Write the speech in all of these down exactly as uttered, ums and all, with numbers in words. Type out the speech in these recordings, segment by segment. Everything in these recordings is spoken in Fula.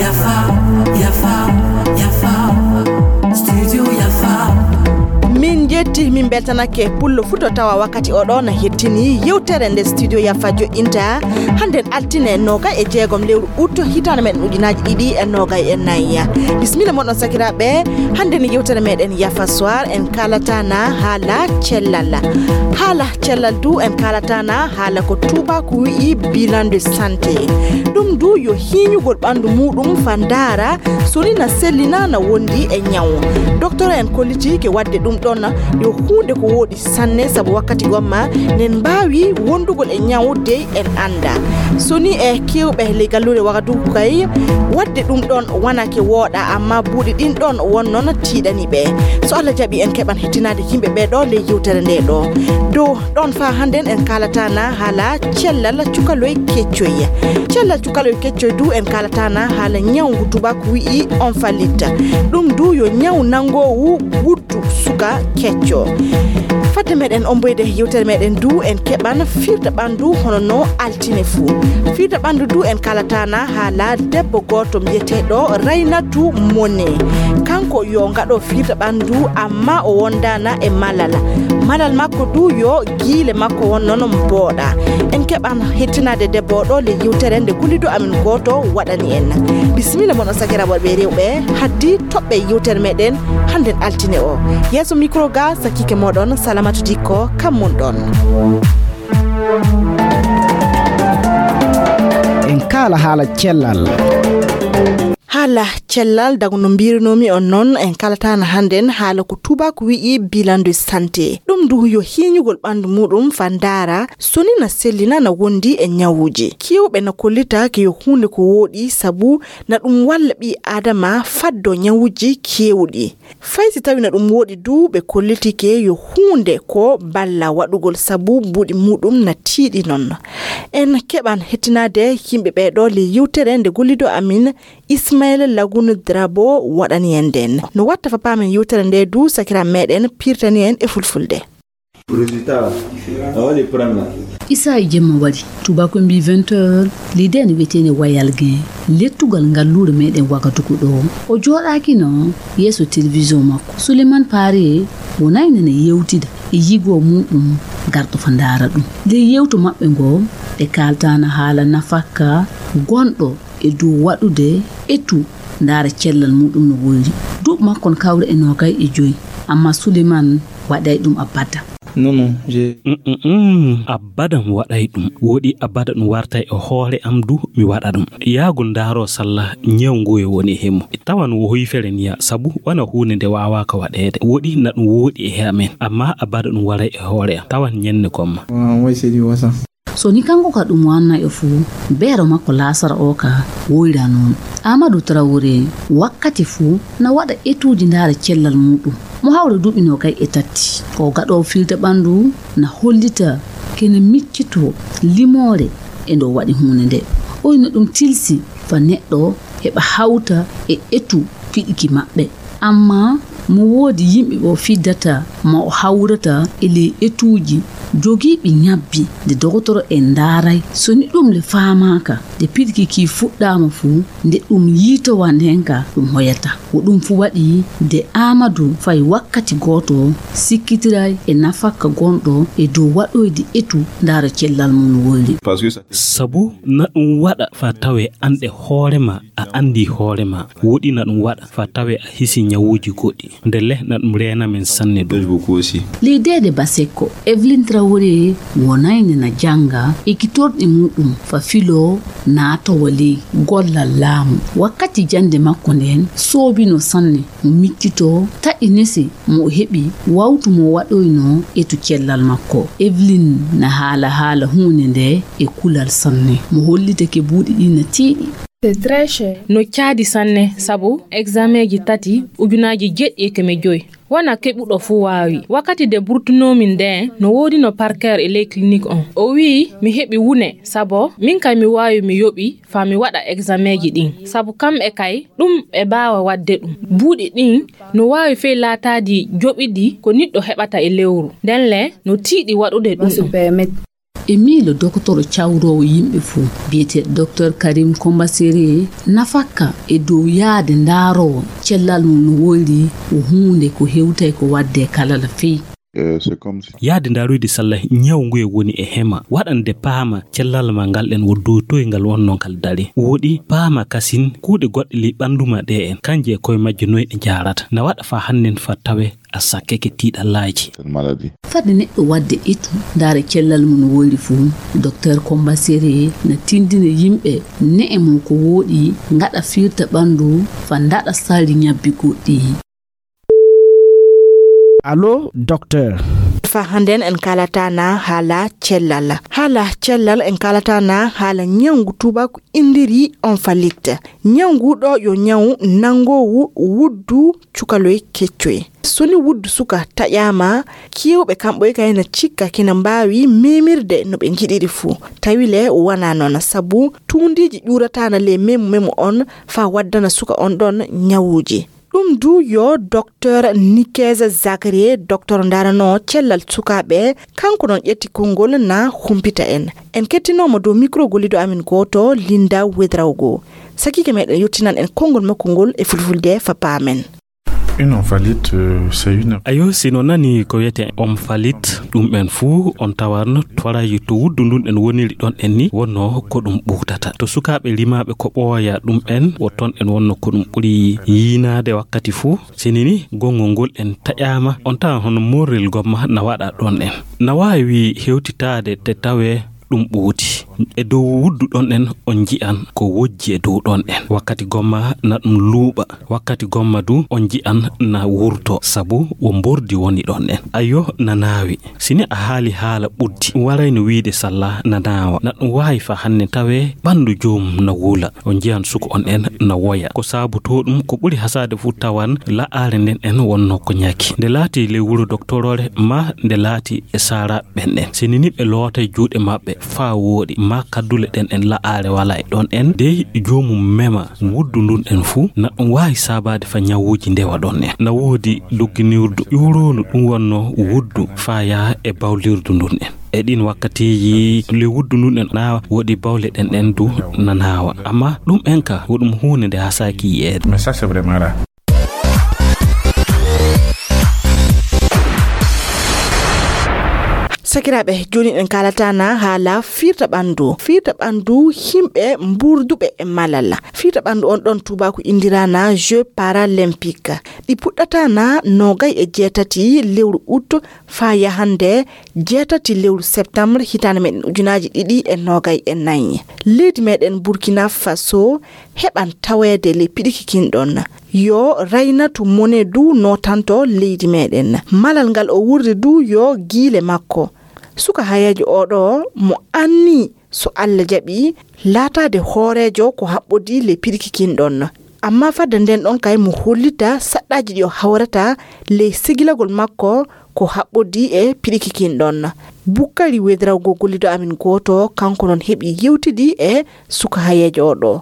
Yafa, yafa, yafa. Studio Yafa. Min jetti, min beltanake pullo fuu to tawa wakkati oɗo na hettini yewtere nde Studio Yafa joɗɗinta. Hannden altine noga e jeegom lewru ut hitaande men ujunaaji ɗiɗi e noga e nayi. Bismilla moɗon sakiraaɓe, hannden yewtere meɗen Yafa Soir en kaalata na haala cellal. Haala cellal du en kaalata na haala ko tuubaaku wi'i bilan de santé. Ɗum du yo hiiñugol ɓanndu muuɗum fa ndaara so ni na selli na na wondi e ñaw. Doktor en kolliti ke waɗde ɗum ɗon yo huunde ko wooɗi sanne, sabu wakkati gomma nen mbaawi wondugol e ñaw dey en annda. So ni e kewɓe ley galluure Wagadugu kay, waɗde ɗum ɗon wonake wooɗa, amma buuɗi ɗin ɗon won noon tiiɗani ɓe. So Allah jaɓi en keɓan hettinaade yimɓe ɓee ɗo ley yewtere nde ɗo. Dow ɗon faa hannden en kaalata na haala cellal cukaloy keccoy. Cellal cukaloy keccoy du en kaalata na haala ñaw ngu tubaako wi'i on fallit. Ɗum du yo ñaw nanngoowu wuddu suka kecco. Fadde meɗen omboyde yewtere meɗen du en keɓan firta ɓanndu hono no altine fuu. Firta ɓanndu du en kaalata na haala debbo gooto mbiyeteeɗo Raynatu Mone. Kanko yo ngaɗo firta ɓanndu amma o wondaana e malal. Malal makko du yo giile makko won noon mbooɗa. En keɓan hettinaade debbo o ɗo le yewtere nde gollido amin gooto waɗani en. Bisimilla mon on sakiraaɓe worɓe e rewɓe, haddi toɓɓe yewtere meɗen hannden altine o. Yeeso micro ga sakiike moɗon Salamatu Dikko kam mon ɗon. En kaala haala cellal. Haala cellal, dago no mbiirunoomi on noon, en kaalataana hannden haala ko tubaako wi'i bilan de santé. Ɗum du yo hiiñugol ɓanndu muuɗum fa ndaara so ni na sellina na wondi e ñawuuji. Keewɓe na kollita ke yo huunde ko wooɗi sabu na ɗum walla ɓii aadama faddo ñawuuji keewɗi. Fay si tawi na ɗum wooɗi du, ɓe kollitike yo huunde ko balla waɗugol sabu buuɗi muuɗum na tiiɗi noon. En keɓan hettinaade yimɓe ɓee ɗo le yewtere nde gollido amin Ismaila Lagunu Drabo waɗani en nden. No watta fa paamen yewtere nde du sakira meɗen pirtani en e fulfulde. Résultat, a waɗi premier. Isa e jemma waɗi. Tubako mbi vingt heures, lidee ne wiyetee ne Wayal Gen. Lettugal ngalluure meɗen Wagadugu ɗo. O jooɗaaki no yeeso télévision makko. Suleiman Paare wonay nana yewtida e yigo muɗum garɗo fa ndaara ɗum. Nde yewto maɓɓe ngo, ɓe kaaltaana haala nafakka gonɗo e dow waɗude etu ndaara cellal muɗum no woyri. Duuɓi makko no kawri e noogay e joyi, amma Suleiman waɗay ɗum abada. Non, non, j'ai Mm, mm, mm. Abada mi waɗay ɗum. Woɗi abada ɗum wartay e hoore am du mi waɗa ɗum. Yaagol ndaaro salla ñaw ngu e woni e hemmo. Tawan wo hoyfere niya sabu wona huunde nde waawaaka waɗeede. Woɗi na ɗum wooɗi e amen, amma abada ɗum waray e hoore am. Tawan ñenne gomma. Wa-, way sedi wasa. So ni kanko ka ɗum wanna e fuu, beero makko laasara o ka woyra noon. Amadou Traoré wakkati fuu na waɗa etuuji ndaara cellal muɗum. Mo hawra duuɓi noogay e tati. O gaɗoowo firde ɓanndu na hollita kene miccitoo limoore e ndo waɗi huunde nde. Oyno ɗum tilsi fa neɗɗo heɓa hawta e etu piɗiki maɓɓe. Amma mo woodi yimɓe ɓo fiddata ma o hawrata e ley etuuji jogiiɓi ñabbi nde dogotoro en ndaaray. So ni ɗum le faamaaka, nde piɗiki ki fuɗɗaama fuu, nde ɗum yiitowa ndeen ka ɗum hoyata. Wo ɗum fuu waɗi nde Aamadu fay wakkati gooto sikkitiray e nafakka gonɗo e dow waɗoyde etu ndaara cellal mum no woyri. Parce que ça Sabu na ɗum waɗa fa tawe anɗe hoore ma, a anndi hoore ma. Woɗi na ɗum waɗa fa tawe a hisi ñawuuji goɗɗi. Ndelle na ɗum reena men sanne du. Merci beaucoup aussi. Ley deede Basekko, Evelyn Traoré wonayne na jannga ekkitorɗe muɗum fa filo naatowa ley gollal laamu. Wakkati jannde makko nden soobino sanne mo miccitoo taƴi nese mo o heɓi wawtu mo waɗoyno etu cellal makko. Evelyn na haala haala huunde nde e kulal sanne. Mo hollitake buuɗi ɗi na tiiɗi. C'est très cher. No caadi sanne sabu examen ji tati ujunaaji jeɗɗi e keme joyi. Wona keɓuɗo fuu waawi. Wakkati nde burtunoomi ndeen, no woodino parker e ley clinique on. O wi'i mi heɓi wune, sabo min kay mi waawi mi yoɓi faa mi waɗa examen ji ɗin. Sabu kamɓe kay, ɗum ɓe baawa waɗde ɗum. Buuɗi ɗin no waawi fey laataadi joɓiɗi ko niɗɗo heɓata e lewru. Nden le, no tiiɗi waɗude ɗum ɗum. E miilo dokotoro cawroowo yimɓe fuu, biyeteeɗo Doktor Karim Kombasere, nafakka e dow yahde ndaaroowo cellal mum no woyri, ko huunde ko hewtay ko waɗde kala la fey. Yahde ndaaroyde salla ñaw nguye woni e hema, waɗande paama cellal ma ngal ɗen wo dow toye ngal wonnoo ngal dare. Woɗi paama kasin kuuɗe goɗɗe ley ɓanndu ma ɗe en, kanje e koye majje noye ɗe njaarata. Na waɗa faa hannden faa tawe a sakkeke tiiɗallaaji. Fade neɗɗo waɗde etu, ndaara cellal mum no woyri fuu, Doktor Kombasere na tinndina yimɓe ne'e mum ko wooɗi ngaɗa firta ɓanndu faa ndaɗa salli ñabbi goɗɗi. Allo, Doktor. Faa hannden en kaalata na haala cellal. Haala cellal en kaalata na haala ñawngu tuubaaku inndiri onfalit. Ñawngu ɗo yo ñaw nanngoowu wuddu cukaloy keccoy. So ni wuddu suka taƴaama, keewɓe kamɓe kay na cikka kina mbaawi memirde no ɓe njiɗiri fuu. Tawi le wanaa noon, sabu tuundiiji ƴuurataana ley memu memu on faa waddana suka on ɗon ñawuuji. Ɗum du yo Doktor Nikes Zakarie, doktor ndaranoo cellal sukaaɓe, kanko noon ƴetti konngol na humpita en. En kettinooma dow mikro golliiɗo amin gooto, Linda Wedraogo. Sakiike meɗen yottinan en konngol makko ngol e fulfulde faa paamen. Une omphalite, euh, c'est une... Ayo, si no nani ko wiyetee omphalite, ɗum en fuu on tawan toraji to wuddu ndun en woniri ɗon en ni wonno ko ɗum ɓuutata. To sukaaɓe rimaaɓe ko ɓooya ɗum en, wo ton en wonno ko ɗum ɓuri yiinaade wakkati fuu. Sini ni gonngol ngol en taƴaama, on tawan hono morrel gomma na waɗa ɗon en. Na waawi hewtitaade te tawee ɗum ɓuuti. E dow wuddu ɗon en on nji'an ko wojji e dow ɗon en. Wakkati gomma na ɗum luuɓa, wakkati gomma du on nji'an na wurto, sabu wo mbordi woni ɗon en. Ayo, na naawi. Si ni a haali haala ɓuddi, ɗum waray no wiide salla na naawa. Na ɗum waawi faa hannden tawee ɓanndu joomum na wula. On nji'an suka on en na woya. Ko saabotoo ɗum, ko ɓuri hasaade fuu tawan la'aare nden en wonno ko ñaki. Nde laati ley wuro doktoroore maa nde laati e saara ɓen en. Sini ni ɓe lootay juuɗe maɓɓe faa wooɗi, maa kaddule ɗen en la'aare walaa e ɗon en, dey joomum mema wuddu ndun en fuu, na ɗum waawi saabaade faa ñawuuji ndewa ɗon en. Na woodi dogginirdu ƴuuroondu ɗum wonno wuddu faa yaha e bawlirdu ndun en. E ɗin wakkatiiji, ley wuddu ndun en na woodi bawle ɗen en du na naawa. Amma ɗum en ka, wo ɗum huunde nde hasaaki yi'eede. Mais ça, c'est vraiment rare. Sakiraaɓe, jooni en kaalata na haala fiirta ɓanndu. Fiirta ɓanndu yimɓe mbuurduɓe e malal. Fiirta ɓanndu on ɗon tuubaaku inndiraa na Jeux Paralympiques. Ɗi puɗɗata na noogay e jeetati lewru ut faa yahande jeetati lewru septembre hitaande meɗen ujunaaji ɗiɗi e noogay e nayi. Leydi meɗen Burkina Faso heɓan taweede ley piɗiki kin ɗon. Yo Raynatu Mone du nootanto leydi meɗen. Malal ngal o wurri du yo giile makko. Suka hayeejo oo ɗoo mo anni so Alla jaɓi laataade hooreejo ko haɓɓodii ley piɗiki kin ɗon. Amma fadde nden ɗon kay mo hollita saɗɗaaji ɗi o hawrata ley segilagol makko ko haɓɓodii e piɗiki kin ɗon. Bukkari Wedrawgo gollido amin gooto, kanko non heɓi yewtidi e suka hayeejo o ɗo.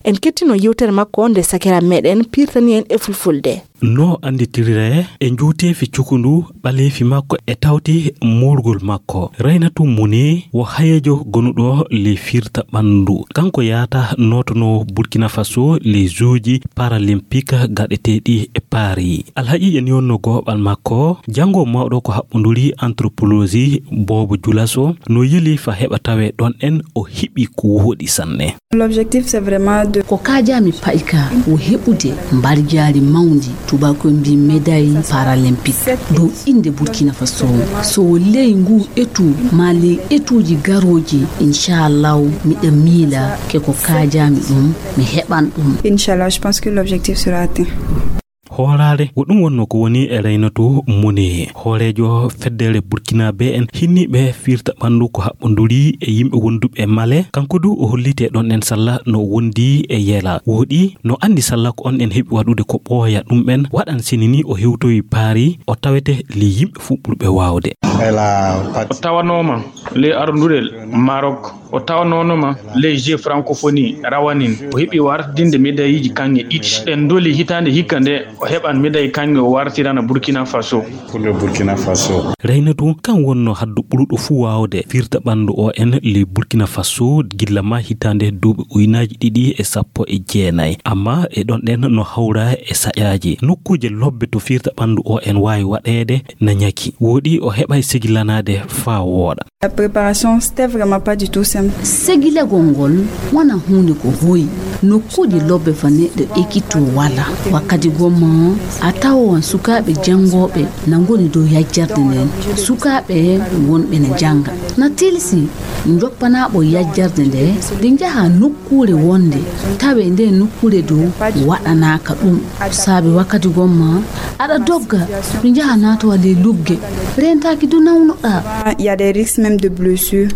En kettino yewtere makko nde sakira meɗen pirtani en e fulfulde. No annditiriree e njuuteefi cukundu ɓaleefi makko e tawti moorgol makko. Raynatu Muni wo hayeejo gonuɗo ley firta ɓanndu. Kanko yaata nootono Burkina Faso ley juuji paralympique gaɗeteeɗi e Paris. Alhaqiiqa ni wonno gooɓal makko. Janngo mawɗo ko haɓɓonduri anthropologie Bobo Julaso no yeli fa heɓa tawe ɗon en o heɓi ko woɗi sanne. L'objectif, c'est vraiment de... Ko kaajaami pa'i ka, wo heɓude mbarjaari mawndi, tubaakoy mbii médaille paralympique, dow innde Burkina Faso. So wo ley nguu etu, maa ley etuuji garooji, inchallahu, miɗa miila ke ko kaajaami ɗum, mi heɓan ɗum. Inchallah, je pense que l'objectif sera atteint. Hooraare, ko ɗum wonnoo ko woni e Raynatu Muni, hooreejo feddere Burkinaaɓe en hinniiɓe firta ɓanndu ko haɓɓonduri e yimɓe wonduɓe e Male. Kanko du o holliti e ɗon en salla no wondi e Yela. Woɗi no anndi salla ko on en heɓi waɗude ko ɓooya ɗum en waɗan sini ni o hewtoyi Paari o tawete ley yimɓe fuu ɓurɓe waawde. O tawanooma ley arondurel Maroc. O tawanoono ma ley Jeux Francophonie rawanin. O heɓi wartinde medayiji kaŋŋe ɗiɗi. Ɗen doli hitaande hikka nde o heɓan medayi kaŋŋe o wartirana Burkina Faso. Pour le Burkina Faso. Raynatu kan wonno haddu ɓuruɗo fuu waawde firta ɓanndu O N ley Burkina Faso gilla ma hitaande duuɓi uynaaji ɗiɗi e sappo e jeenayi. Amma e ɗon ɗen no hawra e saƴaaji. Nokkuuje lobbe to firta ɓanndu O N waawi waɗeede na ñaki. Wooɗi o heɓay segilanaade faa wooɗa. La préparation, c'était vraiment pas du tout simple. Segilagol ngol wona huunde ko hoyi. Nokkuuje lobbe fa neɗɗo ekitoo wala. Wakkati gomma a tawowan sukaaɓe janngooɓe na ngoni dow yajjarde nden. Sukaaɓe wonɓe na jannga. Na tilsi njoppanaaɓo yajjarde nde, nde njaha nokkuure wonde, tawe nde nokkuure dow waɗanaaka ɗum. Saabe wakkati gomma aɗa dogga, ɗum njaha naatowa ley lugge, reentaaki du nawnoɗaa. Il y a des risques même de blessure.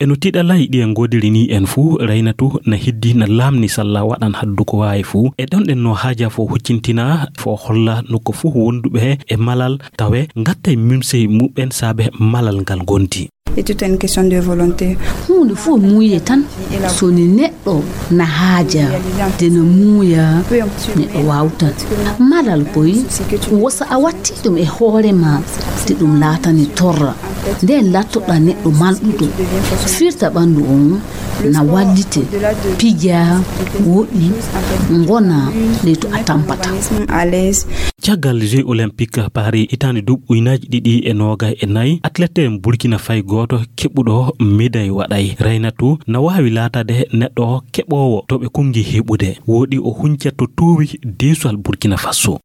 E no tiɗalay ɗi en ngoodiri ni en fuu, Raynatu na hiddi na laamni salla waɗan haddu ko waawi fuu. E ɗon ɗen no haaja fo huccintina, fo holla nokko fuu wonduɓe e malal, tawe ngattay mimsey muɓɓen saabe malal ngal ngonti. Et tout est une question de volonté. Huunde fof muuye tan. So ni neɗɗo na haaja de no muuya, neɗɗo waawtan. Malal koy, wosa a watti ɗum e hoore ma, de ɗum laatani torra. Nden lattoɗa neɗɗo malɗuɗo. Firta ɓanndu on na wallite, pija, woɗi, ngona ley to a tampata. Caggal Jeux Olympiques Paris hitaande duuɓi ujunaaji ɗiɗi e noogay e nayi, athlète Burkina Faye gooto keɓuɗo médaille waɗay. Raynatu na waawi laataade neɗɗo keɓoowo to ɓe kunngi heɓude. Wooɗi o hunca to toowi deesuwal Burkina Faso.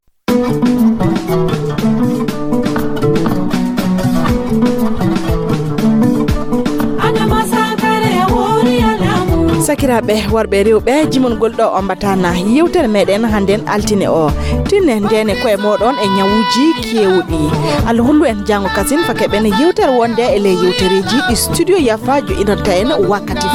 Sakiraaɓe worɓe e rewɓe, jimongol ɗo ombatana yewtere meɗen hannden altine o. Tinne ndene koye moɗon e ñawuji kewɗi. Allah hollu en jango kasin fa keɓen yewtere wonde e ley yewtereji ɗi studio Yafa joɗinanta en wakkati.